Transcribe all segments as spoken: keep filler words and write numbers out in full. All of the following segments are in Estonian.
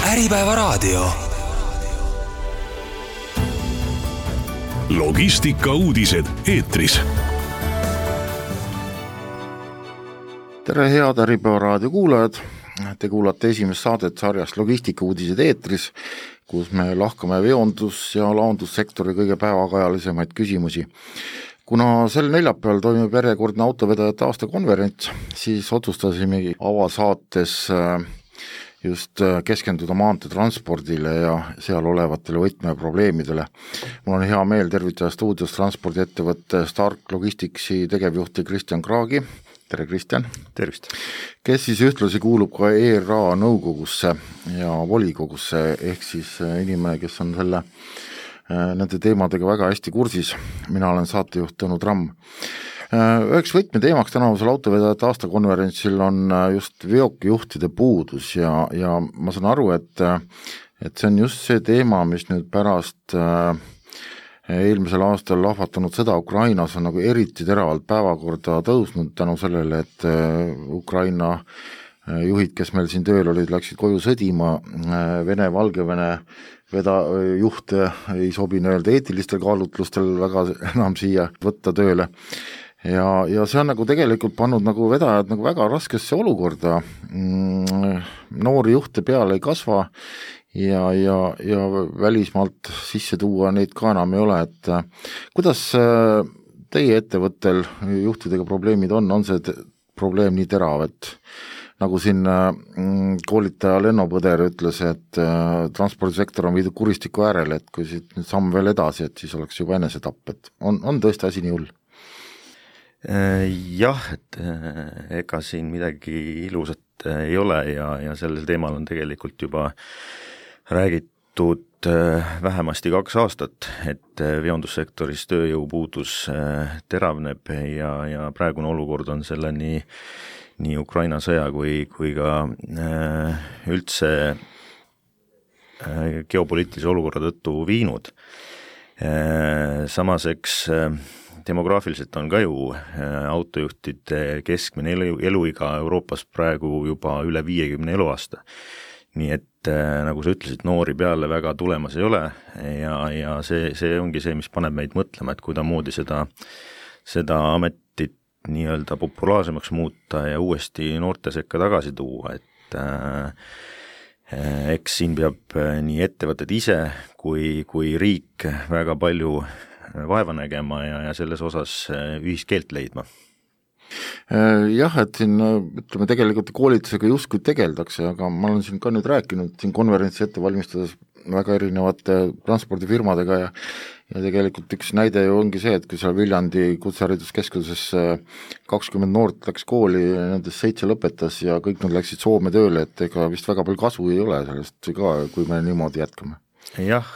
Äripäevaraadio. Logistika uudised eetris. Tere head Äripäevaraadio kuulajad. Te kuulate esimest saadet sarjast Logistika uudised eetris, kus me lahkame veondus- ja laondussektori kõige päevakajalisemaid küsimusi. Kuna sel neljapäeval toimub järjekordne autovedajate aastakonverents, siis otsustasimegi avasaates just keskenduda maanteetranspordile ja seal olevatele võtmeprobleemidele. Mul on hea meel tervitada stuudios transpordiettevõtte Stark Logisticsi tegevjuhti Kristjan Kraagi. Tere Kristjan. Tervist. Kes siis ühtlasi kuulub ka E R A nõukogusse ja volikogusse, ehk siis inimene, kes on selle nende teemadega väga hästi kursis. Mina olen saatejuht Tõnu Tramm. Üheks võtmeteemaks tänavusel autovedajate aastakonverentsil on just veokijuhtide puudus ja, ja ma saan aru, et, et see on just see teema, mis nüüd pärast eelmisel aastal lahvatanud sõda Ukrainas on nagu eriti teravalt päevakorda tõusnud tänu sellele, et Ukraina juhid, kes meil siin tööl olid, läksid koju sõdima, Vene, Valgevene veda juhte ei sobi öelda eetilistel kaalutlustel väga enam siia võtta tööle. Ja, ja see on nagu tegelikult pannud nagu vedajad nagu väga raskesse olukorda. Noori juhte peale ei kasva ja, ja, ja välismaalt sisse tuua neid ka enam ei ole. Et kuidas teie ettevõttel juhtidega probleemid on? On see probleem nii terav, et nagu siin koolitaja Lenno Põder ütles, et transpordisektor on viidud kuristiku äärele, et kui siit nüüd samm veel edasi, et siis oleks juba enesetapp, et on, on tõesti asi nii hull? Jah, et ega siin midagi ilusat ei ole ja, ja sellel teemal on tegelikult juba räägitud vähemasti kaks aastat, et veondussektoris tööjõupuudus teravneb ja, ja praegune olukord on selle nii nii Ukraina sõja kui, kui ka äh, üldse äh, geopoliitilise olukorra tõttu viinud. Äh, samas eks äh, demograafiliselt on ka ju äh, autojuhtide keskmine elu, eluiga Euroopas praegu juba üle viiekümne eluaasta. Nii et äh, nagu sa ütlesid, noori peale väga tulemas ei ole ja, ja see, see ongi see, mis paneb meid mõtlema, et kuidamoodi seda, seda ametit nii-öelda populaarsemaks muuta ja uuesti noorte sekka tagasi tuua, et äh, eks siin peab nii ettevõtted ise kui, kui riik väga palju vaeva nägema ja, ja selles osas ühiskeelt leidma. Jah, et siin ütleme tegelikult koolitusega justkui tegeldakse, aga ma olen siin ka nüüd rääkinud siin konverentsi ette valmistades väga erinevate transpordifirmadega ja ja tegelikult üks näide ju ongi see, et kui seal Viljandi kutsehariduskeskuses kakskümmend noort läks kooli, nendest seitse lõpetas ja kõik nad läksid Soome tööle, et ega vist väga palju kasu ei ole sellest ka, kui me niimoodi jätkame. Jah,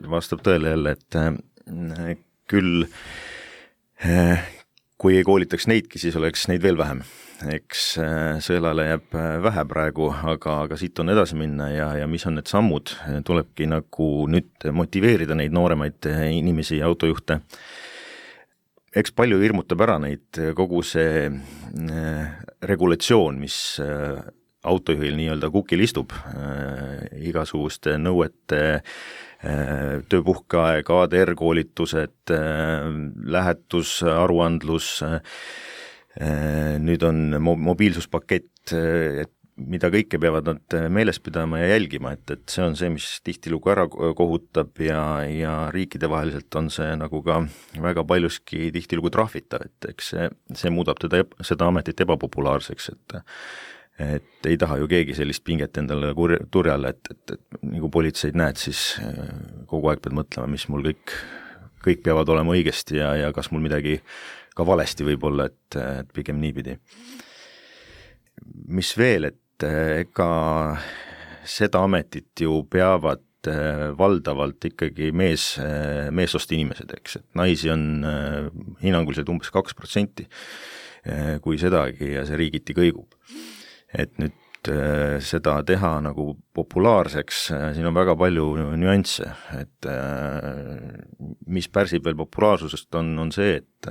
vastab tõele jälle, et küll kui ei koolitaks neidki, siis oleks neid veel vähem. Eks sõelale jääb vähe praegu, aga, aga siit on edasi minna ja, ja mis on need sammud, tulebki nagu nüüd motiveerida neid nooremaid inimesi ja autojuhte. Eks palju hirmutab ära neid kogu see regulatsioon, mis autojuhil nii-öelda kukil istub, igasuguste nõuete, tööpuhkeaeg, A D R koolitused, lähetus, aruandlus, nüüd on mobiilsuspakett, et mida kõike peavad nad meeles pidama ja jälgima, et, et see on see, mis tihtilugu ära kohutab ja, ja riikide vaheliselt on see nagu ka väga paljuski tihtilugu trahvitav, et eks see, see muudab teda, seda ametit ebapopulaarseks, et et ei taha ju keegi sellist pinget endale turjale, et, et, et nagu politseid näed, siis kogu aeg pead mõtlema, mis mul kõik, kõik peavad olema õigesti ja, ja kas mul midagi ka valesti võib olla, et, et pigem niipidi. Mis veel, et ega seda ametit ju peavad valdavalt ikkagi mees, meesost inimesed, eks, et naisi on hinnanguliselt umbes kaks protsenti kui sedagi ja see riigiti kõigub. Et nüüd seda teha nagu populaarseks, siin on väga palju nüansse, et mis pärsib veel populaarsusest on, on see, et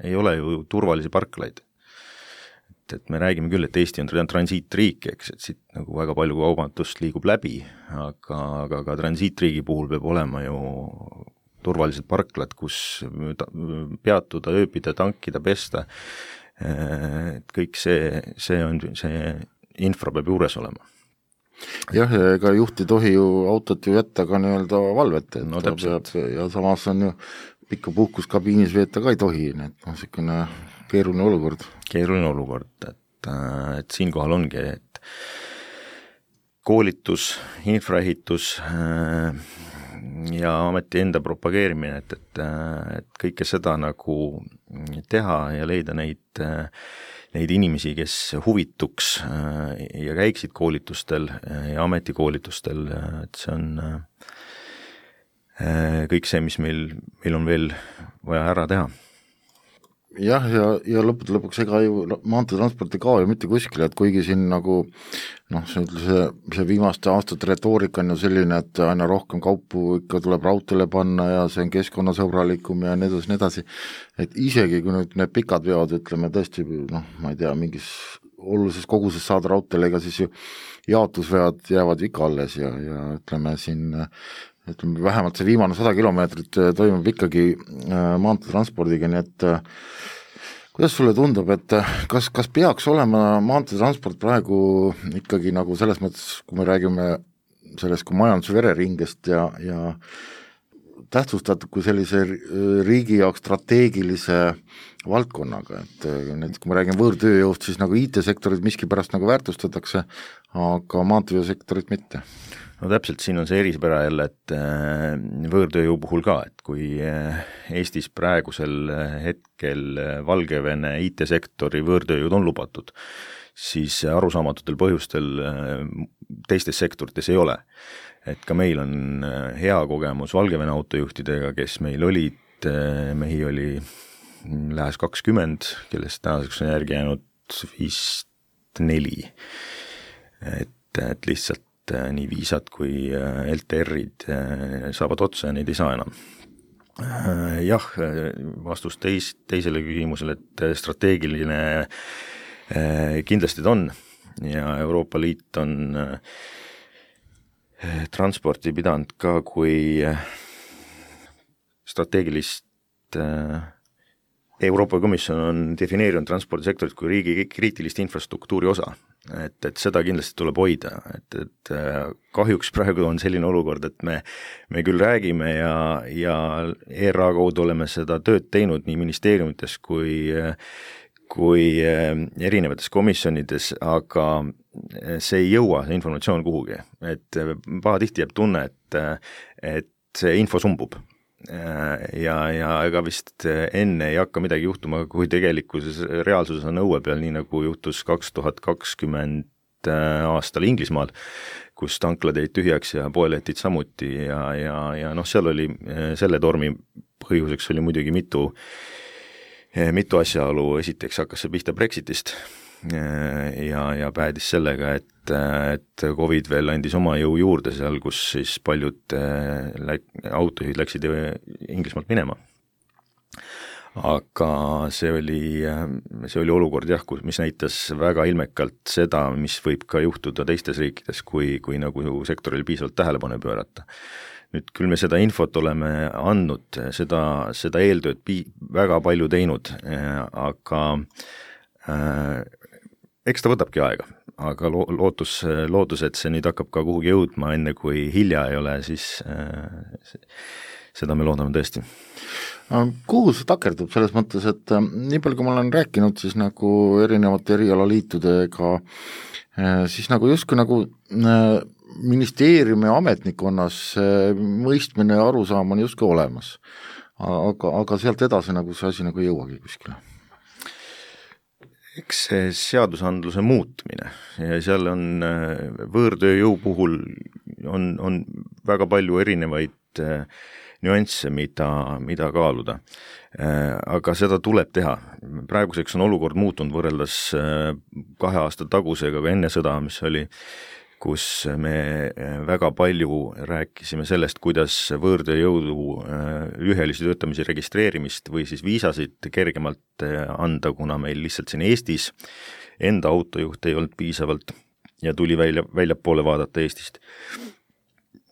ei ole ju turvalisi parklaid. et me räägime küll, et Eesti on transiitriik, eks, et siit nagu väga palju kaubandust liigub läbi, aga, aga ka transiitriigi puhul peab olema ju turvalised parklad, kus peatuda, ööbida, tankida, pesta, et kõik see, see on, see infra peab juures olema. Jah, ega juht ei tohi ju autot ju jätta ka nii-öelda valvete, et no, ta peab, ja samas on ju pikka puhkuskabiinis veeta ka ei tohi, nii et noh, selline keeruline olukord. Keeruline olukord, et, et siinkohal ongi, et koolitus, infraehitus ja ameti enda propageerimine, et, et, et kõike seda nagu teha ja leida neid, neid inimesi, kes huvituks ja käiksid koolitustel ja ametikoolitustel, et see on kõik see, mis meil, meil on veel vaja ära teha. Jah, ja, ja lõppude lõpuks ega ju maanteetransport ei kao ju mitte kuskile, et kuigi siin nagu noh, see, see, see viimaste aastate retoorika on ju selline, et aina rohkem kaupu ikka tuleb raudteele panna ja see on keskkonnasõbralikum ja nii edasi, nii edasi, et isegi kui nüüd need pikad veod, ütleme tõesti, noh, ma ei tea, mingis olulises koguses saada raudteele, ega siis ju jaotusveod jäävad ikka alles ja, ja ütleme siin ütleme, vähemalt see viimane sada kilomeetrit toimub ikkagi maanteetranspordiga, nii et kuidas sulle tundub, et kas, kas peaks olema maanteetransport praegu ikkagi nagu selles mõttes, kui me räägime sellest kui majanduse vereringest ja, ja tähtsustatud kui sellise riigi jaoks strateegilise valdkonnaga, et näiteks kui me räägime võõrtööjõust, siis nagu I T-sektorit miskipärast nagu väärtustatakse, aga maanteesektorit mitte. No täpselt, siin on see eripära jälle, et võõrtööjõu puhul ka, et kui Eestis praegusel hetkel Valgevene I T-sektori võõrtööjõud on lubatud, siis arusaamatutel põhjustel teistes sektorites ei ole. Et ka meil on hea kogemus Valgevene autojuhtidega, kes meil olid, mehi oli lähes kakskümmend, kellest tänaseks on järgi jäänud vist neli. Et, et lihtsalt nii viisad kui L T R-id saavad otsa ja neid ei saa enam. Jah, vastus teis, teisele küsimusele, et strateegiline kindlasti ta on ja Euroopa Liit on transporti pidanud ka kui strateegilist, Euroopa Komisjon on defineerinud transpordisektorit kui riigi kriitilist infrastruktuuri osa. Et, et seda kindlasti tuleb hoida, et, et kahjuks praegu on selline olukord, et me, me küll räägime ja, ja E R A kaudu oleme seda tööd teinud nii ministeeriumites kui, kui erinevates komisjonides, aga see ei jõua, see informatsioon kuhugi, et pahatihti jääb tunne, et, et see info sumbub. Ja, ja ega vist enne ei hakka midagi juhtuma, kui tegelikkuses reaalsuses on õue peal, nii nagu juhtus kaks tuhat kakskümmend aastal Inglismaal, kus tanklad jäid tühjaks ja poelettid samuti ja, ja, ja noh, seal oli selle tormi põhjuseks oli muidugi mitu, mitu asjaolu, esiteks hakkas see pihta Brexitist ja, ja päädis sellega, et, et Covid veel andis oma jõu juurde seal, kus siis paljud läk, autojuhid läksid Inglismaalt minema. Aga see oli, see oli olukord jah, mis näitas väga ilmekalt seda, mis võib ka juhtuda teistes riikides, kui, kui nagu sektoril piisavalt tähelepanu pöörata. Nüüd küll me seda infot oleme andnud, seda, seda eeltööd pi- väga palju teinud, aga äh, eks ta võtabki aega, aga lo- lootus, lootus, et see nüüd hakkab ka kuhugi jõudma, enne kui hilja ei ole, siis äh, seda me loodame tõesti. Kuhu see takerdub selles mõttes, et nii palju, kui ma olen rääkinud siis nagu erinevate erialaliitudega, siis nagu justkui nagu ministeeriumi ametnikonnas mõistmine ja arusaam on justkui olemas, aga, aga sealt edasi nagu see asi nagu ei jõuagi kuskile. Eks see seadusandluse muutmine ja seal on võõrtööjõu puhul on, on väga palju erinevaid nüansse, mida, mida kaaluda. Aga seda tuleb teha. Praeguseks on olukord muutunud võrreldes kahe aasta tagusega, aga enne sõda, mis oli, kus me väga palju rääkisime sellest, kuidas võõrtööjõudu lühiajalise töötamise registreerimist või siis viisasid kergemalt anda, kuna meil lihtsalt siin Eestis enda autojuht ei olnud piisavalt ja tuli välja, väljapoole vaadata Eestist.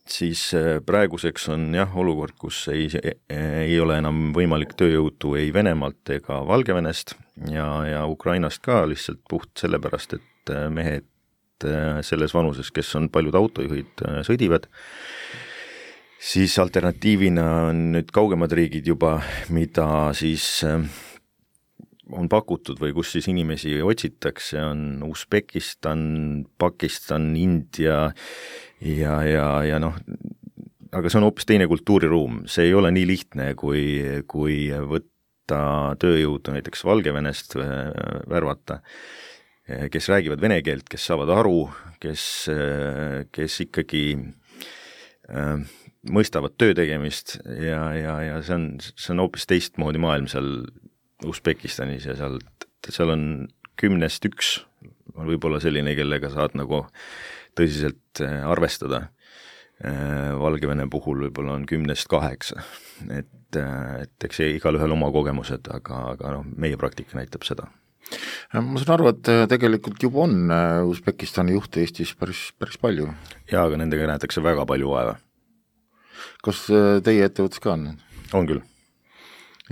Siis praeguseks on jah olukord, kus ei, ei ole enam võimalik tööjõudu ei Venemaalt ega Valgevenest ja, ja Ukrainast ka lihtsalt puht sellepärast, et mehed selles vanuses, kes on paljud autojuhid, sõdivad. Siis alternatiivina on nüüd kaugemad riigid juba, mida siis on pakutud või kus siis inimesi otsitakse, on Usbekistan, Pakistan, India ja, ja, ja noh, aga see on hoopis teine kultuuriruum, see ei ole nii lihtne, kui, kui võtta tööjõudu näiteks Valgevenest värvata, kes räägivad vene keelt, kes saavad aru, kes, kes ikkagi äh, mõistavad töö tegemist ja, ja, ja see on, see on hoopis teistmoodi maailm seal Usbekistanis ja seal, seal on kümnest üks, on võib-olla selline, kellega saad nagu tõsiselt arvestada. Valgevene puhul võib-olla on kümnest kaheksa, et, et eks igal ühel oma kogemused, aga, aga noh, meie praktika näitab seda. Ma saan aru, et tegelikult juba on Usbekistani juhte Eestis päris, päris palju. Jaa, aga nendega näetakse väga palju vaeva. Kas teie ettevõttes ka on? On küll.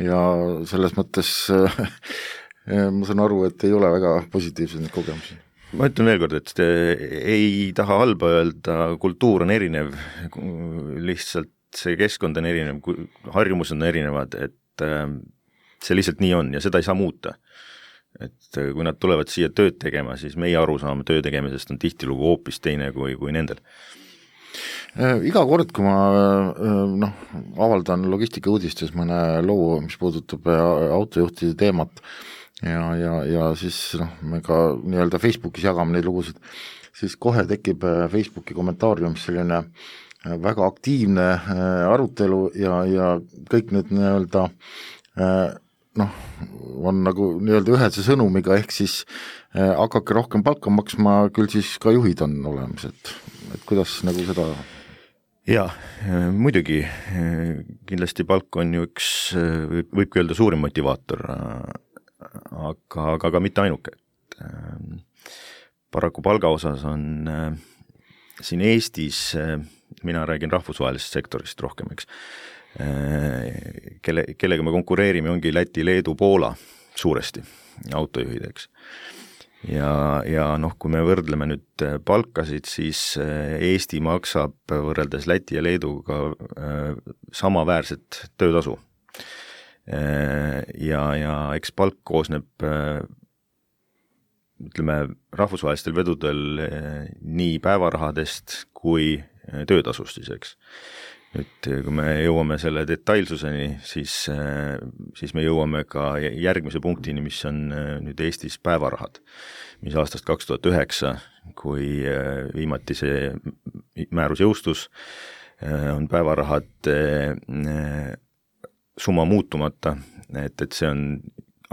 Ja selles mõttes ma saan aru, et ei ole väga positiivsed need kogemusi. Ma ütlen veel kord, et ei taha halba öelda, kultuur on erinev, lihtsalt see keskkond on erinev, harjumused on erinevad, et see lihtsalt nii on ja seda ei saa muuta. Et kui nad tulevad siia tööd tegema, siis meie arusaam töö tegemisest on tihtilugu hoopis teine kui, kui nendel. Iga kord, kui ma noh, avaldan logistikauudistes mõne loo, mis puudutab autojuhtide teemat ja, ja, ja siis noh, me ka nii-öelda Facebookis jagame neid lugusid, siis kohe tekib Facebooki kommentaariumis selline väga aktiivne arutelu ja, ja kõik need nii-öelda noh, on nagu nii-öelda ühese sõnumiga, ehk siis hakake rohkem palka maksma, küll siis ka juhid on olemas, et, et kuidas nagu seda... Jaa, muidugi, kindlasti palk on ju üks, võibki öelda suurim motivaator, aga, aga ka mitte ainuke. Paraku palga osas on siin Eestis, mina räägin rahvusvahelisest sektorist rohkem, eks, kelle, kellega me konkureerime, ongi Läti, Leedu, Poola suuresti autojuhid, eks. Ja, ja noh, kui me võrdleme nüüd palkasid, siis Eesti maksab võrreldes Läti ja Leeduga samaväärset töötasu. Ja, ja eks palk koosneb, ütleme, rahvusvahelistel vedudel nii päevarahadest kui töötasust siis, eks. Nüüd, kui me jõuame selle detailsuseni, siis, siis me jõuame ka järgmise punktini, mis on nüüd Eestis päevarahad, mis aastast kaks tuhat üheksa, kui viimati see määrus jõustus, on päevarahad summa muutumata, et, et see on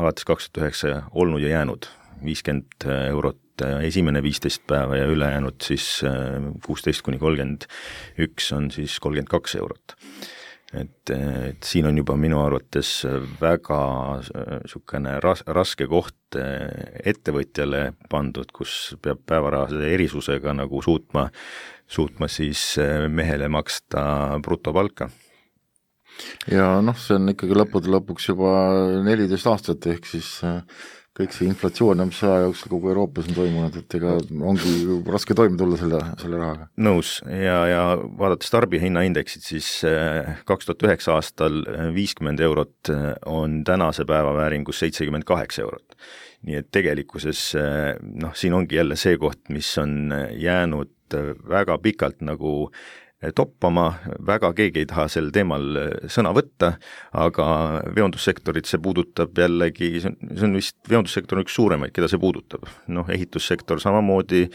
alates kaks tuhat üheksa olnud ja jäänud viiskümmend eurot esimene viisteist päeva ja ülejäänud siis kuusteist kuni kolmkümmend üks on siis kolmkümmend kaks eurot. Et, et siin on juba minu arvates väga sukene ras, raske koht ettevõtjale pandud, kus peab päevarahade erisusega nagu suutma, suutma siis mehele maksta brutopalka. Ja noh, see on ikkagi lõppude lõpuks juba neliteist aastat, ehk siis kõik see inflatsioon, mis aja jooksul kogu Euroopas on toimunud, et ega ongi raske toime tulla selle, selle rahaga. Nõus ja, ja vaadates tarbijahinnaindeksit, siis kaks tuhat üheksa aastal viiskümmend eurot on tänase päeva vääringus seitsekümmend kaheksa eurot. Nii et tegelikkuses noh, siin ongi jälle see koht, mis on jäänud väga pikalt nagu toppama, väga keegi ei taha sel teemal sõna võtta, aga veondussektorit see puudutab jällegi, see on, see on vist, veondussektor on üks suuremaid, keda see puudutab. Noh, ehitussektor samamoodi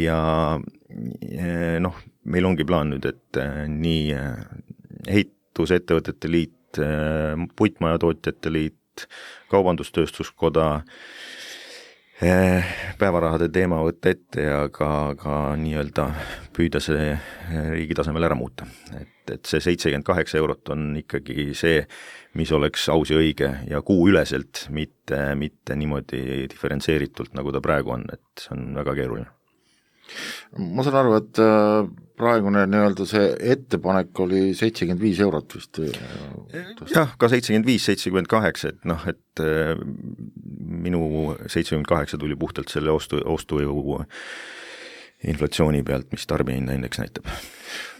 ja noh, meil ongi plaan nüüd, et nii ehitusettevõtete liit, puitmajatootjate liit, kaubandustööstuskoda päevarahade teema võtta ette ja ka, ka nii-öelda püüda see riigi tasemel ära muuta. Et, et see seitsekümmend kaheksa eurot on ikkagi see, mis oleks aus ja õige ja kuu üleselt, mitte, mitte niimoodi diferentseeritult, nagu ta praegu on, et see on väga keeruline. Ma saan aru, et praegune nii-öelda see ettepanek oli seitsekümmend viis eurot vist. Jah, ka seitsekümmend viis, seitsekümmend kaheksa, et noh, et minu seitsekümmend kaheksa tuli puhtalt selle ostu, ostujõu inflatsiooni pealt, mis tarbijahinna indeks näitab.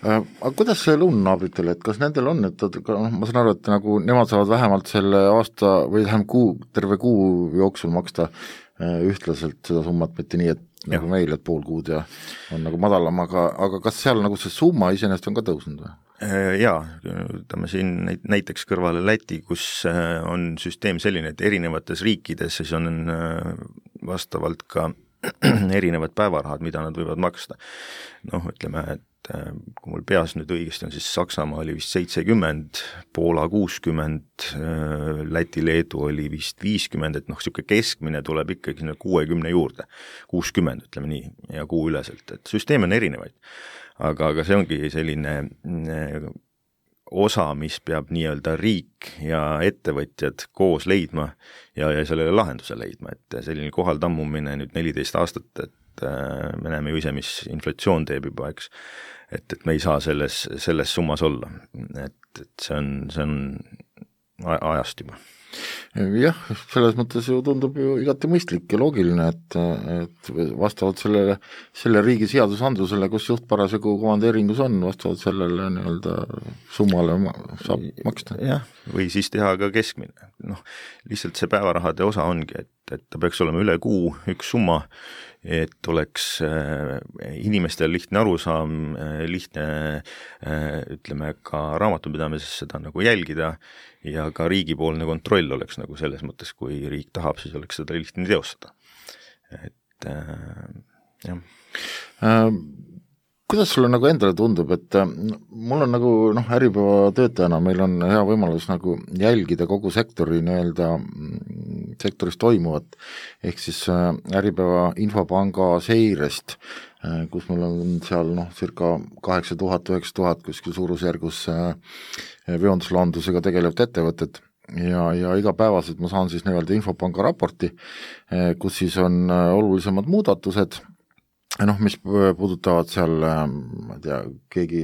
Aga kuidas see lõunanaabritel, et kas nendel on, et noh, ma saan aru, et nagu nemad saavad vähemalt selle aasta või vähem kuu, terve kuu jooksul maksta ühtlaselt seda summat, mitte nii, et ja. Nagu meil, et pool kuud ja on nagu madalam, aga, aga kas seal nagu see summa iseenesest on ka tõusnud või? Jaa, ütleme siin näiteks kõrvale Läti, kus on süsteem selline, et erinevates riikides siis on vastavalt ka erinevad päevarahad, mida nad võivad maksta. Noh, ütleme, et kui mul peas nüüd õigesti on, siis Saksamaa oli vist seitsekümmend, Poola kuuskümmend, Läti, Leedu oli vist viiskümmend, et noh, siuke keskmine tuleb ikkagi kuuekümne juurde, kuuskümmend, ütleme nii, ja kuu üleselt, et süsteem on erinevaid. Aga, aga see ongi selline osa, mis peab nii-öelda riik ja ettevõtjad koos leidma ja, ja sellele lahenduse leidma, et selline kohal tammumine nüüd neliteist aastat, et me näeme ju ise, mis inflatsioon teeb juba, eks, et, et me ei saa selles, selles summas olla, et, et see on, see on ajast juba. Jah, selles mõttes ju tundub ju igati mõistlik ja loogiline, et, et vastavalt sellele, selle riigi seadusandlusele, kus juht parasjagu komandeeringus on, vastavalt sellele nii-öelda summale saab maksta. Jah, või siis teha ka keskmine. Noh, lihtsalt see päevarahade osa ongi, et, et ta peaks olema üle kuu üks summa, et oleks äh, inimestel lihtne arusaam, äh, lihtne äh, ütleme ka raamatupidamises seda nagu jälgida ja ka riigipoolne kontroll oleks nagu selles mõttes, kui riik tahab, siis oleks seda lihtne teostada. Et äh, jah. Ähm. Kuidas sulle nagu endale tundub, et mul on nagu noh, Äripäeva töötajana meil on hea võimalus nagu jälgida kogu sektori nii-öelda sektoris toimuvat, ehk siis Äripäeva infopanga seirest, kus meil on seal noh, circa kaheksa tuhat, üheksa tuhat kuskil suurusjärgus veonduslandusega tegelevad ettevõtted ja, ja igapäevaselt ma saan siis nii-öelda infopanga raporti, kus siis on olulisemad muudatused, noh, mis puudutavad seal, ma ei tea, keegi,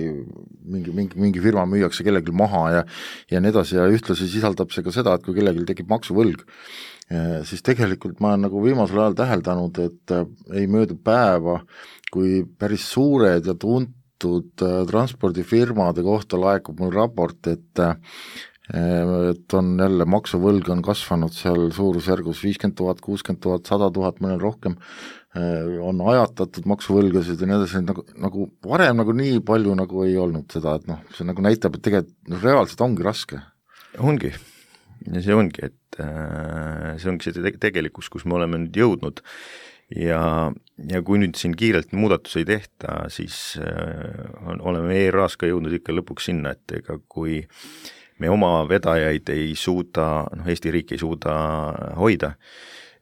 mingi, mingi, mingi firma müüakse kellelgi maha ja, ja nii edasi ja ühtlasi sisaldab see ka seda, et kui kellelgi tekib maksuvõlg, siis tegelikult ma olen nagu viimasel ajal täheldanud, et ei möödu päeva, kui päris suured ja tuntud transpordifirmade kohta laekub mul raport, et et on jälle maksuvõlg on kasvanud seal suurusjärgus viiskümmend tuhat, kuuskümmend tuhat, sada tuhat, mõnel rohkem, on ajatatud maksuvõlgasid ja nii edasi, nagu, nagu varem nagu nii palju nagu ei olnud seda, et noh, see nagu näitab, et tegelikult no, reaalselt ongi raske. Ongi, ja see ongi, et äh, see ongi see tegelikkus, kus me oleme nüüd jõudnud ja, ja kui nüüd siin kiirelt muudatus ei tehta, siis äh, on, oleme E R A-s ka jõudnud ikka lõpuks sinna, et ega kui me oma vedajaid ei suuda, noh Eesti riik ei suuda hoida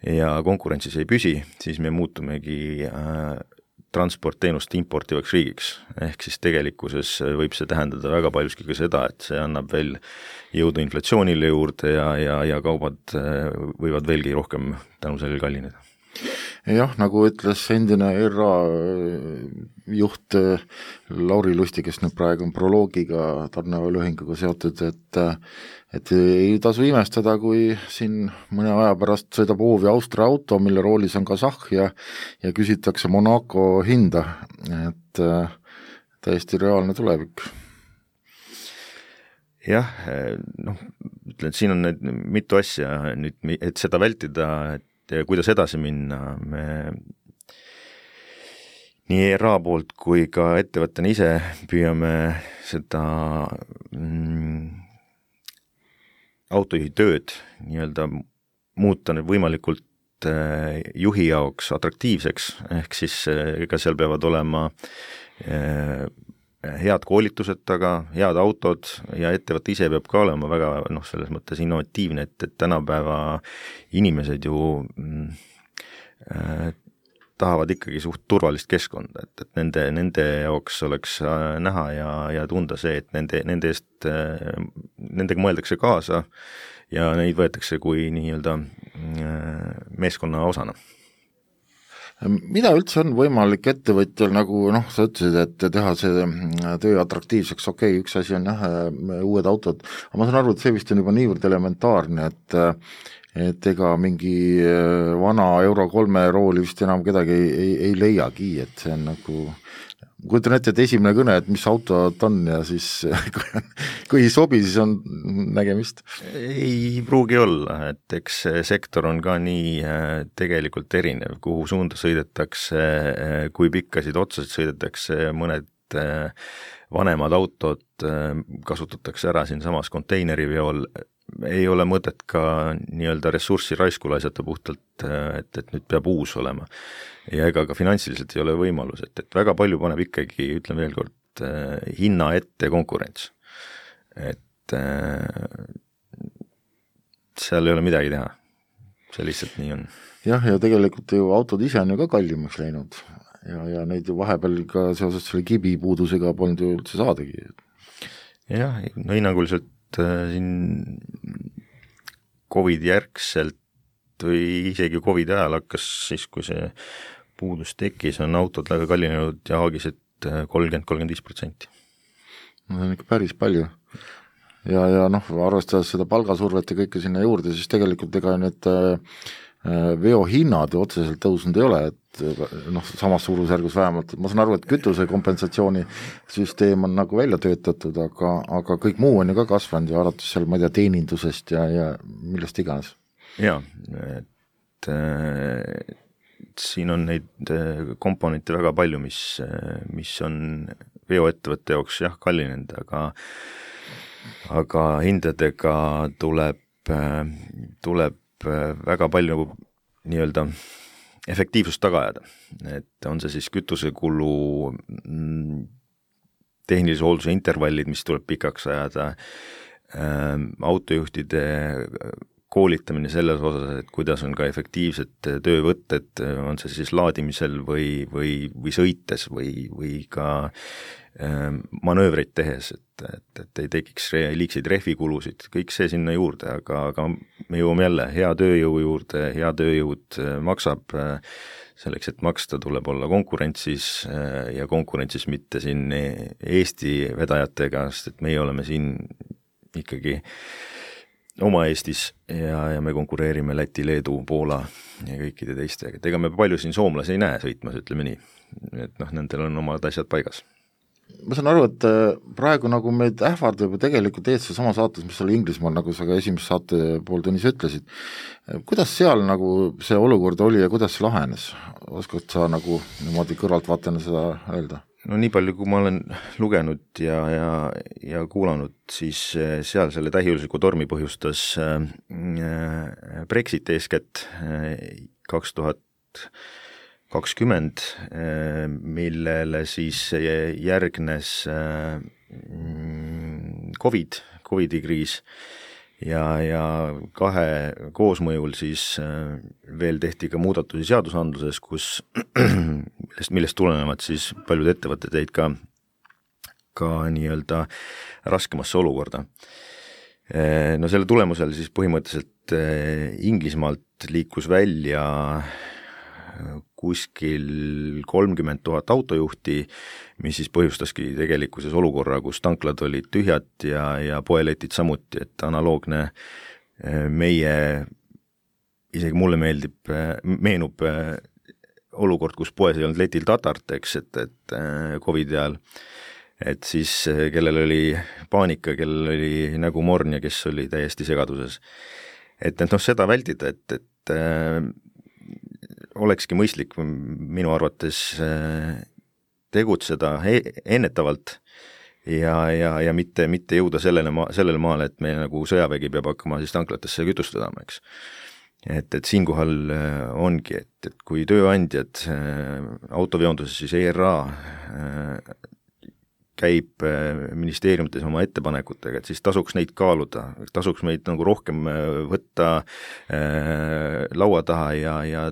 ja konkurentsis ei püsi, siis me muutumegi äh, transportteenust importivaks riigiks. Ehk siis tegelikkuses võib see tähendada väga paljuski ka seda, et see annab veel jõudu inflatsioonile juurde ja, ja, ja kaubad äh, võivad veelgi rohkem tänu sellele kallineda. Jah, nagu ütles endine E R A juht Lauri Lusti, kes nüüd praegu on proloogiga tarnevalühinguga seotud, et, et ei tasu imestada, kui siin mõne aja pärast sõidab hoovi Austria auto, mille roolis on kasahh ja, ja küsitakse Monaco hinda, et täiesti reaalne tulevik. Jah, noh, ütlen, et siin on need mitu asja nüüd, et seda vältida, et ja kuidas edasi minna, me nii E R A poolt kui ka ettevõttena ise püüame seda mm, autojuhi tööd nii-öelda muuta võimalikult äh, juhi jaoks atraktiivseks, ehk siis ega seal peavad olema äh, head koolitused taga, head autod ja ettevõte ise peab ka olema väga noh, selles mõttes innovatiivne, et, et tänapäeva inimesed ju mm, tahavad ikkagi suht turvalist keskkonda, et, et nende, nende jaoks oleks näha ja, ja tunda see, et nende, nende eest, nendega mõeldakse kaasa ja neid võetakse kui nii-öelda meeskonna osana. Mida üldse on võimalik ettevõtjal, nagu noh, sa ütlesid, et teha see töö atraktiivseks, okei, okay, üks asi on jah, uued autod, aga ma saan aru, et see vist on juba niivõrd elementaarne, et et ega mingi vana Euro kolme rooli vist enam kedagi ei, ei, ei leiagi, et see on nagu, kujutan ette, et esimene kõne, et mis auto on ja siis kui, kui ei sobi, siis on nägemist. Ei pruugi olla, et eks sektor on ka nii tegelikult erinev, kuhu suunda sõidetakse, kui pikkasid otsasid sõidetakse, mõned vanemad autod kasutatakse ära siin samas konteineriveol, ei ole mõtet ka nii-öelda ressurssi raisku laisata puhtalt, et, et nüüd peab uus olema. Ja ega ka finantsiliselt ei ole võimalus, et, et väga palju paneb ikkagi, ütlen veel kord, hinna ette konkurents. Et seal ei ole midagi teha. See lihtsalt nii on. Jah, ja tegelikult ju autod ise on ju ka kallimaks läinud ja, ja neid ju vahepeal ka seoses selle kibi puudusega polnud ju üldse saadagi. Jah, no hinnanguliselt siin Covid järgselt või isegi Covid ajal hakkas siis, kui see puudus tekkis, on autod väga kallinenud ja haagised kolmkümmend kuni kolmkümmend viis protsenti. No see on ikka päris palju. Ja, ja noh, arvestades seda palgasurvet ja kõike sinna juurde, siis tegelikult ega need veohinnad ju otseselt tõusnud ei ole, et noh, samas suurusjärgus vähemalt, ma saan aru, et kütuse kompensatsiooni süsteem on nagu välja töötatud, aga, aga kõik muu on ju ka kasvanud ja alates seal, ma ei tea, teenindusest ja, ja millest iganes. Jaa, et äh, siin on neid komponente väga palju, mis, mis on veoettevõtte jaoks jah, kallinenud, aga, aga hindadega tuleb, tuleb väga palju nii-öelda efektiivsust taga ajada, et on see siis kütusekulu, tehnilise hoolduse intervallid, mis tuleb pikaks ajada, autojuhtide koolitamine selles osas, et kuidas on ka efektiivsed töövõtted, on see siis laadimisel või, või, või sõites või, või ka manöövreid tehes, et, et, et ei tekiks liigseid rehvikulusid, kõik see sinna juurde, aga, aga me jõuame jälle hea tööjõu juurde, hea tööjõud maksab, selleks, et maksta, tuleb olla konkurentsis ja konkurentsis mitte siin Eesti vedajatega, sest et meie oleme siin ikkagi oma Eestis ja, ja me konkureerime Läti, Leedu, Poola ja kõikide teistega, et ega me palju siin soomlasi ei näe sõitmas, ütleme nii, et noh, nendel on omad asjad paigas. Ma saan aru, et praegu nagu meid ähvardab ju tegelikult eetsa sama saates, mis oli Inglismaal, nagu sa ka esimest saate pool tunnis ütlesid. Kuidas seal nagu see olukord oli ja kuidas see lahenes? Oskad sa nagu niimoodi kõrvalt vaatena seda öelda? No nii palju, kui ma olen lugenud ja, ja, ja kuulanud, siis seal selle täiusliku tormi põhjustas Brexit eeskätt kaks tuhat kakskümmend, millele siis järgnes Covid, Covidi kriis ja, ja kahe koosmõjul siis veel tehti ka muudatusi seadusandluses, kus millest, millest tulenevad siis paljud ettevõtted jäid ka, ka nii-öelda raskemasse olukorda. No selle tulemusel siis põhimõtteliselt Inglismaalt liikus välja kuskil kolmkümmend tuhat autojuhti, mis siis põhjustaski tegelikkuses olukorra, kus tanklad olid tühjad ja, ja poeletid samuti, et analoogne meie, isegi mulle meeldib, meenub olukord, kus poes ei olnud letil tatart, eks, et, et Covidi ajal, et siis kellel oli paanika, kellel oli nägu morn ja kes oli täiesti segaduses. Et, et noh, seda vältida, et, et olekski mõistlik minu arvates tegutseda ennetavalt ja, ja, ja mitte, mitte jõuda sellele, ma, sellele maale, et me nagu sõjavägi peab hakkama siis tanklatesse kütust vedama, eks. Et, et siinkohal ongi, et, et kui tööandjad autoveonduses siis E R A käib ministeeriumites oma ettepanekutega, et siis tasuks neid kaaluda, tasuks meid nagu rohkem võtta äh, laua taha ja, ja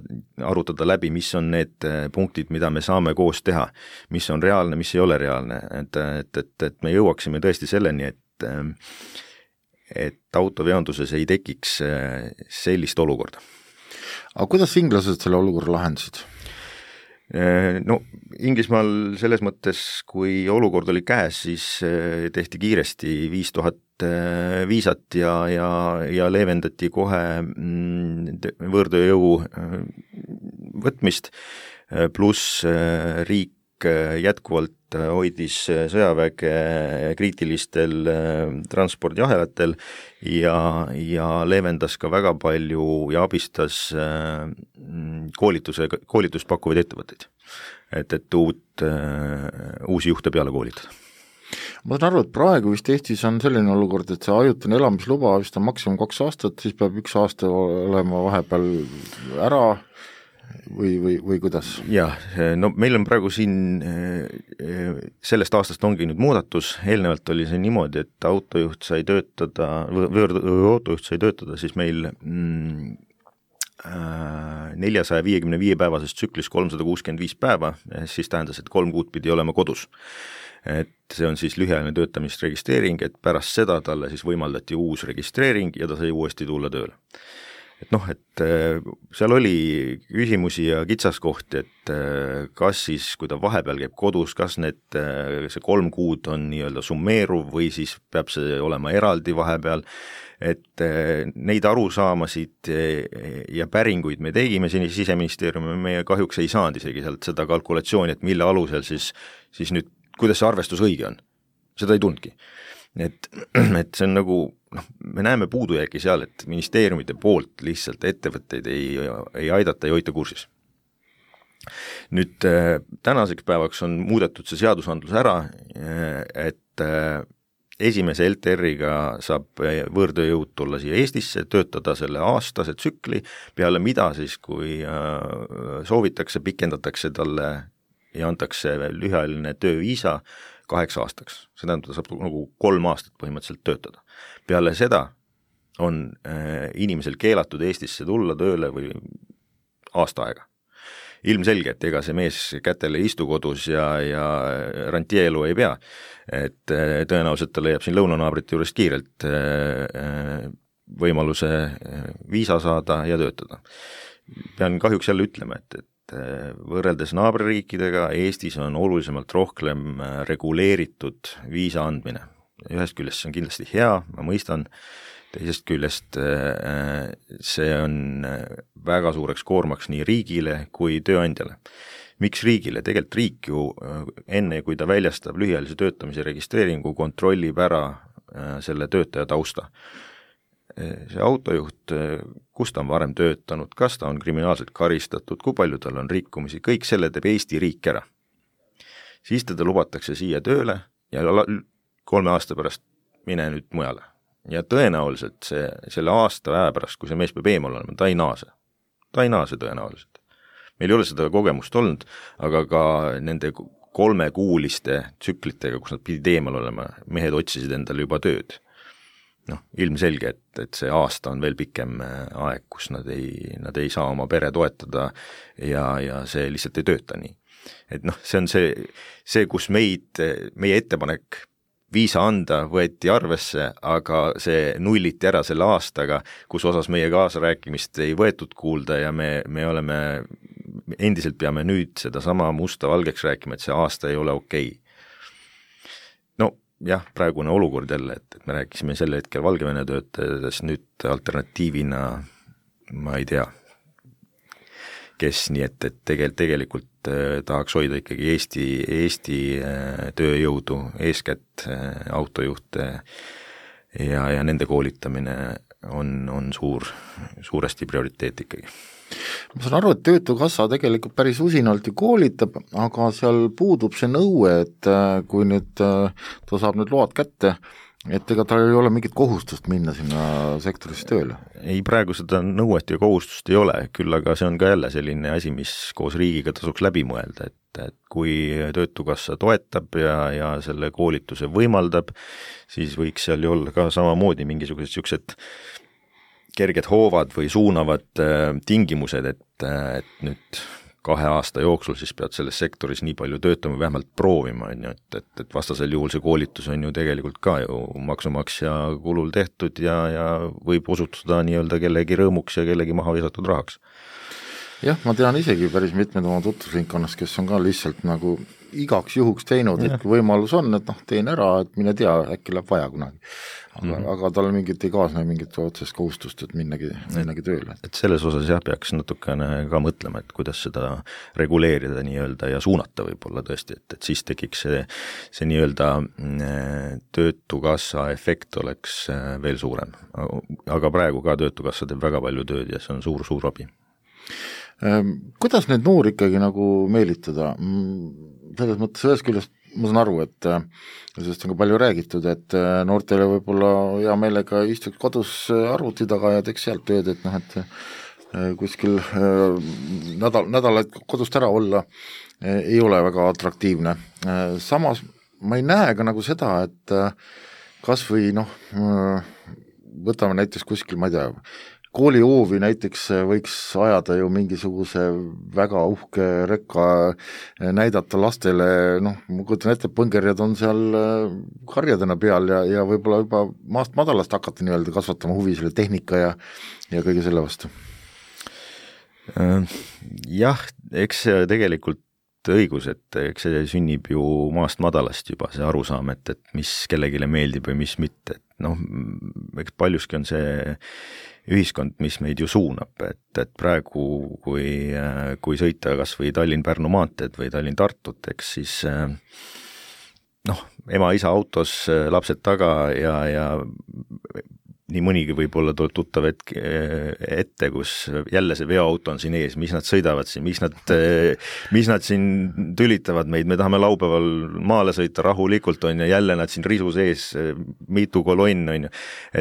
arutada läbi, mis on need punktid, mida me saame koos teha, mis on reaalne, mis ei ole reaalne, et, et, et, et me jõuaksime tõesti selleni, et, et autoveonduses ei tekiks sellist olukorda. Aga kuidas inglased selle olukorra lahendasid? No Inglismaal selles mõttes, kui olukord oli käes, siis tehti kiiresti viis tuhat viisat ja, ja, ja leevendati kohe võõrtööjõu võtmist, pluss riik jätkuvalt hoidis sõjaväge kriitilistel transpordiahelatel ja, ja leevendas ka väga palju ja abistas koolituse, koolitust pakkuvaid ettevõtteid, et, et uut, uusi juhte peale koolitada. Ma saan aru, et praegu vist Eestis on selline olukord, et see ajutine elamisluba vist on maksimum kaks aastat, siis peab üks aasta olema vahepeal ära või, või, või kuidas? Jah, no meil on praegu siin, sellest aastast ongi nüüd muudatus, eelnevalt oli see niimoodi, et autojuht sai töötada, võõrautojuht sai töötada siis meil mm, neljasaja viiekümne viie päevasest tsüklis kolmsada kuuskümmend viis päeva, siis tähendas, et kolm kuud pidi olema kodus. Et see on siis lühiajaline töötamisregistreering, et pärast seda talle siis võimaldati uus registreering ja ta sai uuesti tulla tööle. Et noh, et seal oli küsimusi ja kitsaskohti, et kas siis, kui ta vahepeal käib kodus, kas need, see kolm kuud on nii-öelda summeeruv või siis peab see olema eraldi vahepeal, et neid arusaamasid ja päringuid me tegime siin Siseministeeriumi, me kahjuks ei saanud isegi sealt seda kalkulatsiooni, et mille alusel siis, siis nüüd, kuidas see arvestus õige on, seda ei tundki. Et, et see on nagu, noh, me näeme puudujääki seal, et ministeeriumite poolt lihtsalt ettevõtteid ei, ei aidata ja hoita kursis. Nüüd tänaseks päevaks on muudetud see seadusandlus ära, et esimese L T R-iga saab võõrtööjõud tulla siia Eestisse, töötada selle aastase tsükli, peale mida siis, kui soovitakse, pikendatakse talle ja antakse lühiajaline tööviisa kaheks aastaks. See tähendab, ta saab nagu kolm aastat põhimõtteliselt töötada. Peale seda on äh, inimesel keelatud Eestisse tulla tööle või aasta aega. Ilmselge, et ega see mees kätele istu kodus ja, ja rantieelu ei pea, et äh, tõenäoliselt ta leiab siin lõunanaabrite juurest kiirelt äh, võimaluse viisa saada ja töötada. Pean kahjuks jälle ütlema, et, et võrreldes naabririikidega Eestis on olulisemalt rohkem reguleeritud viisa andmine. Ühest küljest see on kindlasti hea, ma mõistan, teisest küljest see on väga suureks koormaks nii riigile kui tööandjale. Miks riigile? Tegelikult riik ju enne, kui ta väljastab lühiajalise töötamise registreeringu, kontrollib ära selle töötaja tausta. See autojuht, kus ta on varem töötanud, kas ta on kriminaalselt karistatud, kui palju tal on rikkumisi, kõik selle teeb Eesti riik ära. Siis teda lubatakse siia tööle ja kolme aasta pärast mine nüüd mujale. Ja tõenäoliselt see, selle aasta aja pärast, kui see mees peab eemal olema, ta ei naase. Ta ei naase tõenäoliselt. Meil ei ole seda kogemust olnud, aga ka nende kolmekuuliste tsüklitega, kus nad pidid eemal olema, mehed otsisid endale juba tööd. Noh, ilmselge, et, et see aasta on veel pikem aeg, kus nad ei, nad ei saa oma pere toetada ja, ja see lihtsalt ei tööta nii. Et noh, see on see, see, kus meid, meie ettepanek viisa anda võeti arvesse, aga see nulliti ära selle aastaga, kus osas meie kaasarääkimist ei võetud kuulda ja me, me oleme, endiselt peame nüüd seda sama musta valgeks rääkima, et see aasta ei ole okei. No jah, praegune olukord jälle, et, et me rääkisime selle hetkel Valgevene töötajatest, nüüd alternatiivina ma ei tea, kes nii, et, et tegelikult, tegelikult eh, tahaks hoida ikkagi Eesti, Eesti eh, tööjõudu, eeskätt eh, autojuhte ja, ja nende koolitamine on, on suur, suuresti prioriteet ikkagi. Ma saan aru, et Töötukassa tegelikult päris usinalt ju koolitab, aga seal puudub see nõue, et kui nüüd ta saab nüüd load kätte, et ega tal ei ole mingit kohustust minna sinna sektorisse tööle? Ei, praegu seda nõuet ja kohustust ei ole, küll aga see on ka jälle selline asi, mis koos riigiga tasuks läbi mõelda, et et kui Töötukassa toetab ja, ja selle koolituse võimaldab, siis võiks seal ju olla ka samamoodi mingisugused siuksed kerged hoovad või suunavad tingimused, et, et nüüd kahe aasta jooksul siis pead selles sektoris nii palju töötama, vähemalt proovima, on ju, et, et, et vastasel juhul see koolitus on ju tegelikult ka ju maksumaksja kulul tehtud ja, ja võib osutuda nii-öelda kellegi rõõmuks ja kellegi maha visatud rahaks. Jah, ma tean isegi päris mitmed oma tutvusringkonnas, kes on ka lihtsalt nagu igaks juhuks teinud, et kui võimalus on, et noh, teen ära, et mine tea, äkki läheb vaja kunagi. Aga, mm-hmm. aga tal mingit ei kaasne mingit otsest kohustust, et minnagi, minnagi tööle. Et selles osas jah, peaks natukene ka mõtlema, et kuidas seda reguleerida nii-öelda ja suunata võib-olla tõesti, et, et siis tekiks see, see nii-öelda Töötukassa efekt oleks veel suurem. Aga praegu ka Töötukassa teeb väga palju tööd ja see on suur, suur abi. Kuidas neid noori ikkagi nagu meelitada? Selles mõttes ühes küljest ma saan aru, et sellest on ka palju räägitud, et noortele võib-olla hea meelega istuks kodus arvuti taga ja teeks sealt tööd, et noh, et kuskil nädal, nädalaid kodust ära olla ei ole väga atraktiivne. Samas ma ei näe ka nagu seda, et kas või noh, võtame näiteks kuskil, ma ei tea, koolihoovi näiteks võiks ajada ju mingisuguse väga uhke rekka, näidata lastele, noh, ma kujutan ette, põngerjad on seal karjadena peal ja, ja võib-olla juba maast madalast hakata nii-öelda kasvatama huvi selle tehnika ja, ja kõige selle vastu. Jah, eks see tegelikult õigus, et eks see sünnib ju maast madalast juba see arusaam, et, et mis kellegile meeldib või mis mitte, et noh, eks paljuski on see ühiskond, mis meid ju suunab, et, et praegu, kui, kui sõita kas või Tallinn-Pärnu maanteed või Tallinn-Tartut, eks siis noh, ema-isa autos, lapsed taga ja, ja nii mõnigi võib-olla tuleb tuttav hetke ette, kus jälle see veoauto on siin ees, mis nad sõidavad siin, mis nad, mis nad siin tülitavad meid, me tahame laupäeval maale sõita rahulikult, on ja jälle nad siin risus ees, mitu kolonn, on ju,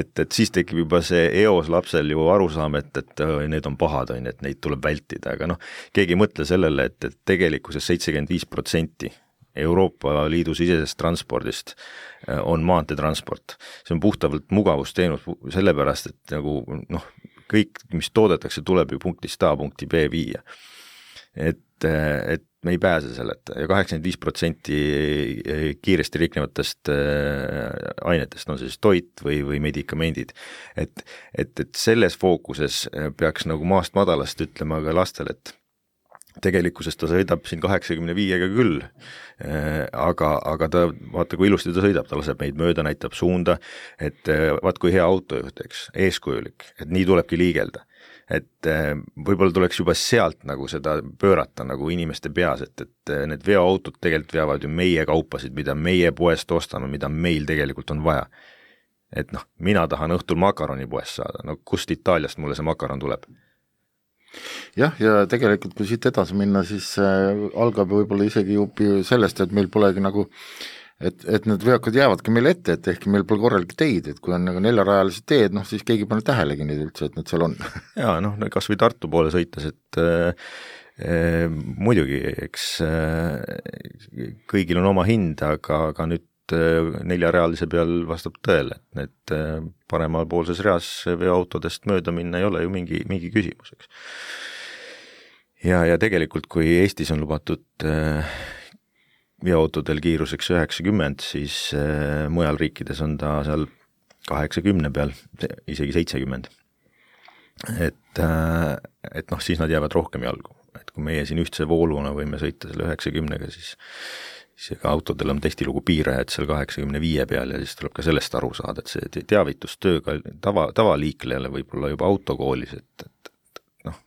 et, et siis tekib juba see eos lapsel ju arusaam, et, et need on pahad, on, et neid tuleb vältida, aga noh, keegi ei mõtle sellele, et, et tegelikkuses seitsekümmend viis protsenti Euroopa Liidu sisesest transpordist on maanteetransport. See on puhtavalt mugavusteenus sellepärast, et nagu noh, kõik, mis toodetakse, tuleb ju punktist A punkti B viia. Et, et me ei pääse selleta ja kaheksakümmend viis protsenti kiiresti riknevatest ainetest on siis toit või, või medikamendid. Et, et, et selles fookuses peaks nagu maast madalast ütlema ka lastel, et tegelikkuses ta sõidab siin kaheksakümne viiega küll, aga, aga ta, vaata kui ilusti ta sõidab, ta laseb meid mööda, näitab suunda, et vaat kui hea autojuht, eks, eeskujulik, et nii tulebki liigelda. Et võib-olla tuleks juba sealt nagu seda pöörata nagu inimeste peas, et, et need veoautod tegelikult veavad ju meie kaupasid, mida meie poest ostame, mida meil tegelikult on vaja. Et noh, mina tahan õhtul makaroni poest saada, no kust Itaaliast mulle see makaron tuleb? Jah, ja tegelikult kui siit edasi minna, siis äh, algab võib-olla isegi jupi sellest, et meil polegi nagu, et, et need veokad jäävadki meil ette, et ehk meil pole korralik teid, et kui on nagu neljarajalised teed, noh siis keegi pane tähelegi neid üldse, et need seal on. Jaa, noh, kas või Tartu poole sõites, et äh, äh, muidugi, eks äh, kõigil on oma hind, aga, aga nüüd neljarealise peal vastab tõele, et need paremapoolses reas veoautodest mööda minna ei ole ju mingi, mingi küsimus, eks. Ja, ja tegelikult, kui Eestis on lubatud veoautodel kiiruseks üheksakümmend, siis mujal riikides on ta seal kaheksakümne peal, isegi seitsekümmend. Et, et noh, siis nad jäävad rohkem jalgu. Et kui meie siin ühtse vooluna võime sõita selle üheksakümnega, siis siis ka autodel on tihtilugu piirajad seal kaheksakümne viie peal ja siis tuleb ka sellest aru saada, et see teavitustööga tava, tavaliiklejale võib-olla juba autokoolis, et, et, et noh,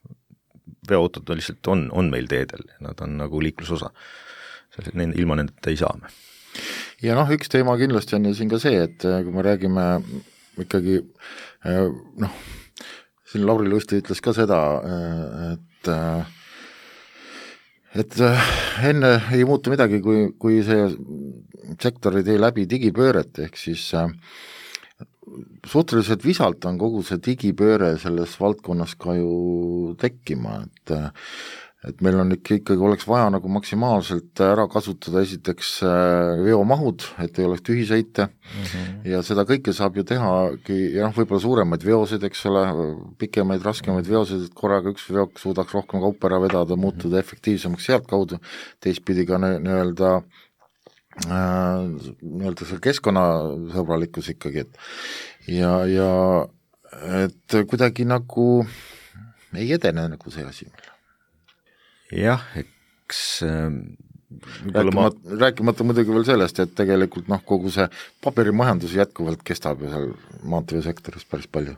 veoautod lihtsalt on, on meil teedel, nad on nagu liiklusosa, ilma nendeta ei saa me. Ja noh, üks teema kindlasti on ju siin ka see, et kui me räägime ikkagi, noh, siin Lauri Lusti ütles ka seda, et et enne ei muutu midagi, kui, kui see sektor ei tee läbi digipööret, ehk siis suhteliselt visalt on kogu see digipööre selles valdkonnas ka ju tekkima, et et meil on ikka, ikkagi oleks vaja nagu maksimaalselt ära kasutada esiteks veomahud, et ei oleks tühisõite mm -hmm. ja seda kõike saab ju tehagi, ja noh, võib-olla suuremaid veoseid, eks ole, pikemaid, raskemaid veoseid, et korraga üks veok suudaks rohkem kaupa ära vedada, muutuda mm -hmm. efektiivsemaks sealt kaudu, teistpidi ka nii-öelda äh, nii-öelda see keskkonnasõbralikkus ikkagi, et ja, ja et kuidagi nagu ei edene nagu see asi meil. Jah, eks rääkimata, ma... rääkimata muidugi veel sellest, et tegelikult noh, kogu see paberimajandus jätkuvalt kestab ju seal maanteesektoris päris palju.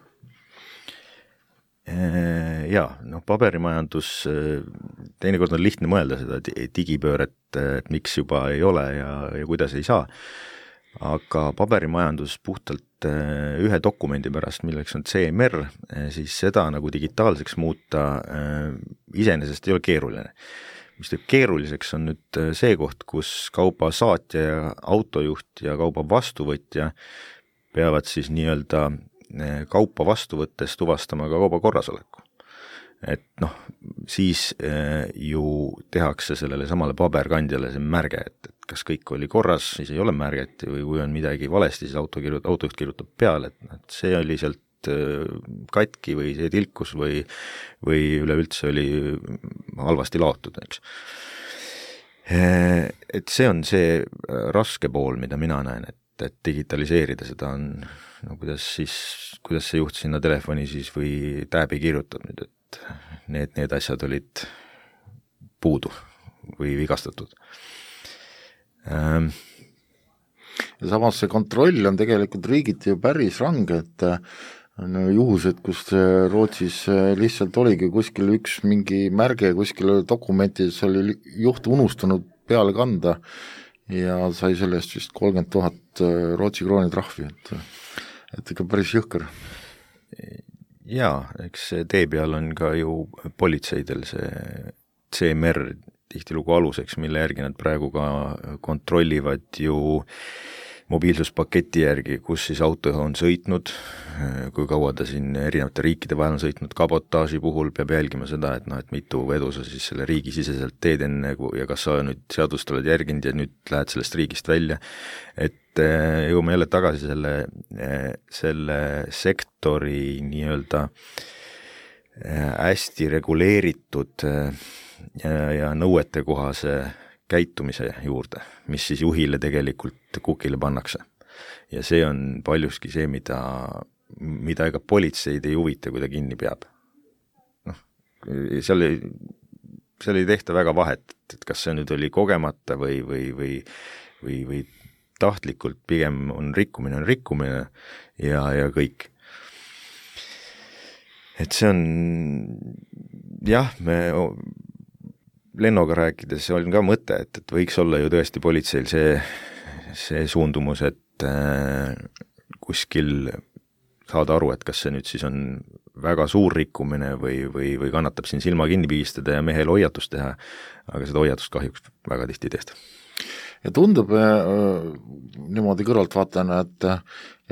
Jaa, noh paberimajandus, teinekord on lihtne mõelda seda digipööret, et miks juba ei ole ja, ja kuidas ei saa, aga paberimajandus puhtalt ühe dokumendi pärast, milleks on C M R, siis seda nagu digitaalseks muuta iseenesest ei ole keeruline. Mis teeb keeruliseks on nüüd see koht, kus kauba saatja ja autojuht ja kauba vastuvõtja peavad siis nii-öelda kaupa vastu võttes tuvastama ka kauba korrasoleku. Et noh, siis ju tehakse sellele samale paberkandjale see märge, et, et kas kõik oli korras, siis ei ole märget või kui on midagi valesti, siis auto kirjut, autojuht kirjutab peale, et, et see oli sealt katki või see tilkus või, või üleüldse oli halvasti laotud, eks. Et see on see raske pool, mida mina näen, et, et digitaliseerida seda on, no kuidas siis, kuidas see juht sinna telefoni siis või tääbi kirjutab nüüd, et need, need asjad olid puudu või vigastatud. Ähm. Ja samas see kontroll on tegelikult riigiti ju päris range, et on juhused, kus Rootsis lihtsalt oligi kuskil üks mingi märge, kuskil dokumentides oli juht unustanud peale kanda ja sai sellest vist kolmkümmend tuhat Rootsi krooni trahvi, et, et ikka päris jõhker. Jaa, eks tee peal on ka ju politseidel see C M R tihtilugu aluseks, mille järgi nad praegu ka kontrollivad ju mobiilsuspaketi järgi, kus siis auto on sõitnud, kui kaua ta siin erinevate riikide vahel on sõitnud, kabotaaži puhul peab jälgima seda, et noh, et mitu vedu sa siis selle riigi siseselt teed enne ja kas sa nüüd seadust oled järginud ja nüüd lähed sellest riigist välja, et jõuame jälle tagasi selle, selle sektori nii-öelda hästi reguleeritud ja, ja nõuetekohase käitumise juurde, mis siis juhile tegelikult kukile pannakse. Ja see on paljuski see, mida, mida ega politseid ei huvita, kui ta kinni peab. Noh, seal ei, seal ei tehta väga vahet, et kas see nüüd oli kogemata või, või, või, või, või tahtlikult, pigem on rikkumine, on rikkumine ja, ja kõik. Et see on, jah, me Lennoga rääkides on ka mõte, et, et võiks olla ju tõesti politseil see, see suundumus, et äh, kuskil saada aru, et kas see nüüd siis on väga suur rikkumine või, või, või kannatab siin silma kinni pigistada ja mehel hoiatust teha, aga seda hoiatust kahjuks väga tihti ei tehta. Ja tundub äh, niimoodi kõrvalt vaatana, et,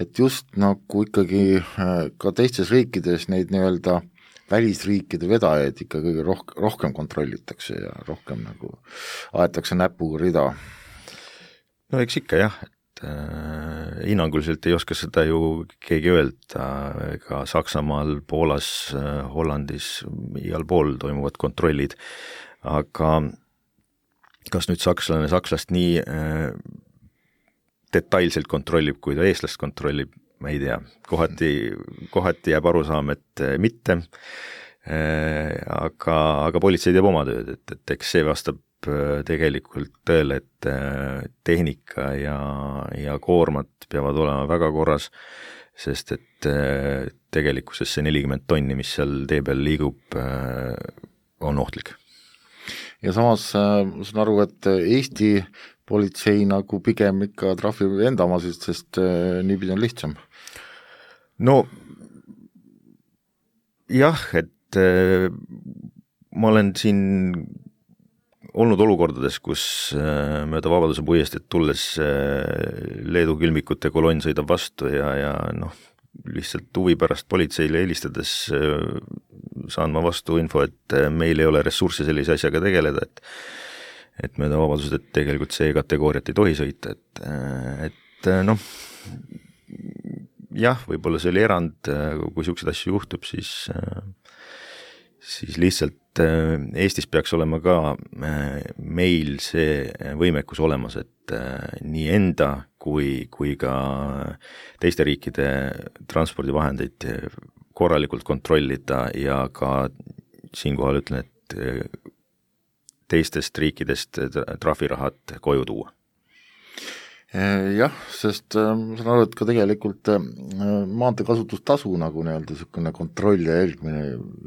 et just nagu ikkagi äh, ka teistes riikides neid nii-öelda välisriikide vedajaid ikka kõige roh- rohkem kontrollitakse ja rohkem nagu aetakse näpuga rida. No eks ikka jah, et äh, hinnanguliselt ei oska seda ju keegi öelda, ega Saksamaal, Poolas, äh, Hollandis, igal pool toimuvad kontrollid, aga kas nüüd sakslane sakslast nii äh, detailselt kontrollib, kui ta eestlast kontrollib, ma ei tea, kohati, kohati jääb arusaam, et mitte, aga, aga politsei teeb oma tööd, et, et eks see vastab tegelikult tõele, et tehnika ja, ja koormad peavad olema väga korras, sest et tegelikkuses see nelikümmend tonni, mis seal tee peal liigub, on ohtlik. Ja samas ma saan aru, et Eesti politsei nagu pigem ikka trahvib enda omasid, sest niipidi on lihtsam. No jah, et äh, ma olen siin olnud olukordades, kus äh, mööda Vabaduse puiesteed tulles äh, Leedu külmikute kolonn sõidab vastu ja, ja noh, lihtsalt huvi pärast politseile helistades saan ma vastu info, et meil ei ole ressurssi sellise asjaga tegeleda, et et mööda vabadused, et tegelikult see kategooriat ei tohi sõita, et, et noh, jah, võib-olla see oli erand, kui selliseid asju juhtub, siis, siis lihtsalt Eestis peaks olema ka meil see võimekus olemas, et nii enda kui, kui ka teiste riikide transpordivahendeid korralikult kontrollida ja ka siinkohal ütlen, et teistest riikidest trahvirahad koju tuua. Jah, sest ma saan aru, et ka tegelikult maantee kasutustasu nagu nii-öelda niisugune kontroll ja jälgmine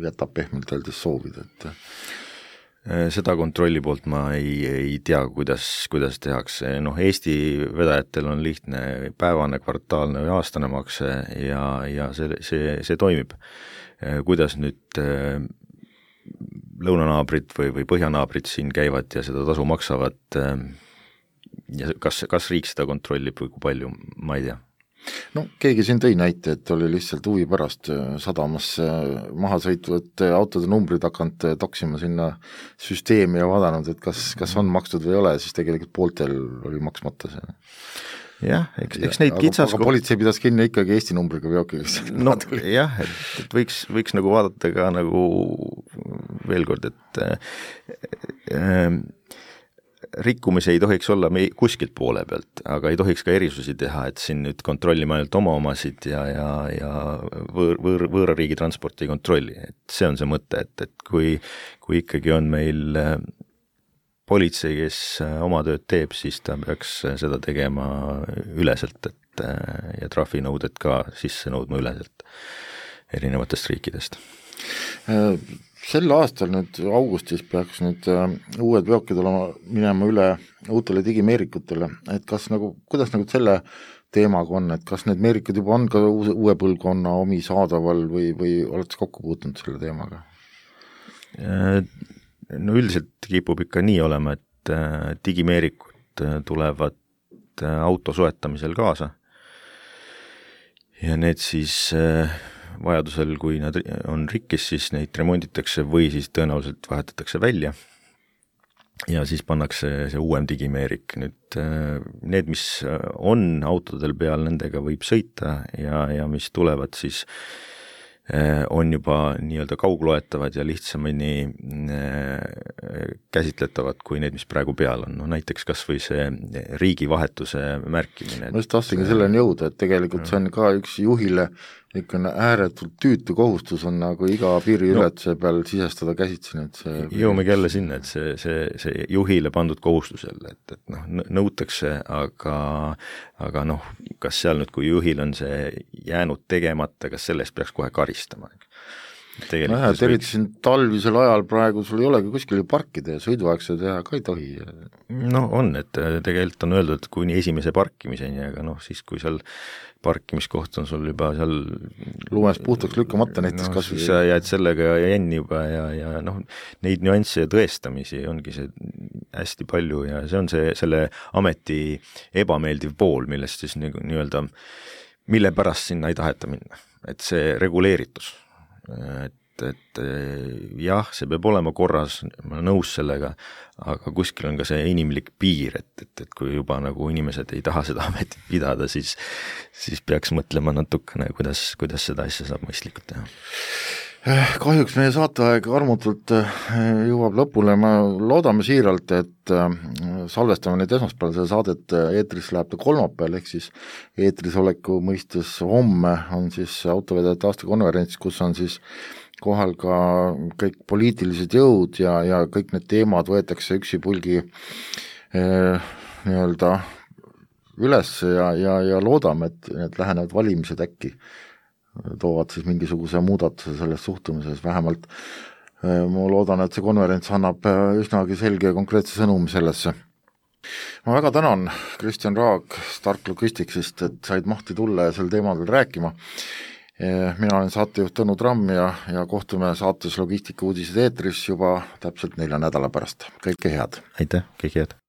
jätab pehmelt öeldes soovida, et seda kontrolli poolt ma ei, ei tea, kuidas, kuidas tehakse. Noh, Eesti vedajatel on lihtne päevane, kvartaalne või aastane makse ja, ja see, see, see toimib. Kuidas nüüd lõunanaabrid või, või põhjanaabrid siin käivad ja seda tasu maksavad ja kas, kas riik seda kontrollib või kui palju, ma ei tea. No keegi siin tõi näite, et oli lihtsalt huvi pärast sadamasse maha sõitvate autode numbrid hakanud toksima sinna süsteemi ja vaadanud, et kas, kas on makstud või ei ole, siis tegelikult pooltel oli maksmata see. Jah, eks, eks neid kitsaskohti... Aga politsei pidas kinni ikkagi Eesti numbriga veokiga. No jah, et, et võiks, võiks nagu vaadata ka nagu veel kord, et äh, rikkumisi ei tohiks olla me kuskilt poole pealt, aga ei tohiks ka erisusi teha, et siin nüüd kontrollime ainult oma omasid ja, ja, ja võõr, võõr, võõra riigi transporti ei kontrolli. Et see on see mõte, et, et kui, kui ikkagi on meil politsei, kes oma tööd teeb, siis ta peaks seda tegema üleselt, et ja trahvinõuded ka sisse nõudma üleselt erinevatest riikidest. Sel aastal nüüd augustis peaks nüüd uued veokid olema minema üle uutele digimeerikutele, et kas nagu, kuidas nagu selle teemaga on, et kas need meerikud juba on ka uue põlvkonna omi saadaval või, või olete kokku puutunud selle teemaga? No üldiselt kipub ikka nii olema, et digimeerikud tulevad auto soetamisel kaasa ja need siis vajadusel, kui nad on rikkis, siis neid remonditakse või siis tõenäoliselt vahetatakse välja ja siis pannakse see uuem digimeerik. Nüüd need, mis on autodel peal, nendega võib sõita ja, ja mis tulevad, siis on juba nii-öelda kaugloetavad ja lihtsamini käsitletavad kui need, mis praegu peal on. No näiteks kas või see riigivahetuse märkimine. Ma just tahtsingi selleni jõuda, et tegelikult see on ka üks juhile ikka ääretult tüütu kohustus on nagu iga piiriületuse peal sisestada käsitsi nüüd see. Jõumegi jälle sinna, et see, see, see juhile pandud kohustusele, et, et noh, nõutakse, aga, aga noh, kas seal nüüd, kui juhil on see jäänud tegemata, kas sellest peaks kohe karistama? No jah, et eriti siin talvisel ajal praegu sul ei olegi kuskil parkida ja sõiduaegse teha ka ei tohi. No on, et tegelikult on öeldud, et kuni esimese parkimiseni, aga noh, siis kui seal parkimiskoht on sul juba seal lumest puhtaks lükkamata näiteks no, kas siis sa jääd sellega jänni juba ja, ja noh, neid nüansse ja tõestamisi ongi see hästi palju ja see on see, selle ameti ebameeldiv pool, millest siis nii, nii-öelda, mille pärast sinna ei taheta minna, et see reguleeritus, et et jah, see peab olema korras, ma olen nõus sellega, aga kuskil on ka see inimlik piir, et, et, et kui juba nagu inimesed ei taha seda ametit pidada, siis, siis peaks mõtlema natukene, kuidas, kuidas seda asja saab mõistlikult teha. Kahjuks meie saateaeg armutult jõuab lõpule, ma loodame siiralt, et salvestame nüüd esmaspäeval seda saadet, eetris läheb ta kolmapäeval, ehk siis eetris oleku mõistes homme on siis autovedajate aastakonverents, kus on siis kohal ka kõik poliitilised jõud ja, ja kõik need teemad võetakse üksipulgi eh, nii-öelda üles ja, ja, ja loodame, et need lähenevad valimised äkki toovad siis mingisuguse muudatuse selles suhtumises, vähemalt eh, ma loodan, et see konverents annab üsnagi selge ja konkreetse sõnumi sellesse. Ma väga tänan Kristjan Raag Stark Logisticsist, et said mahti tulla ja sel teemadel rääkima. Mina olen saatejuht Tõnu Tramm ja, ja kohtume saates Logistika uudised eetris juba täpselt nelja nädala pärast. Kõike head! Aitäh, kõike head!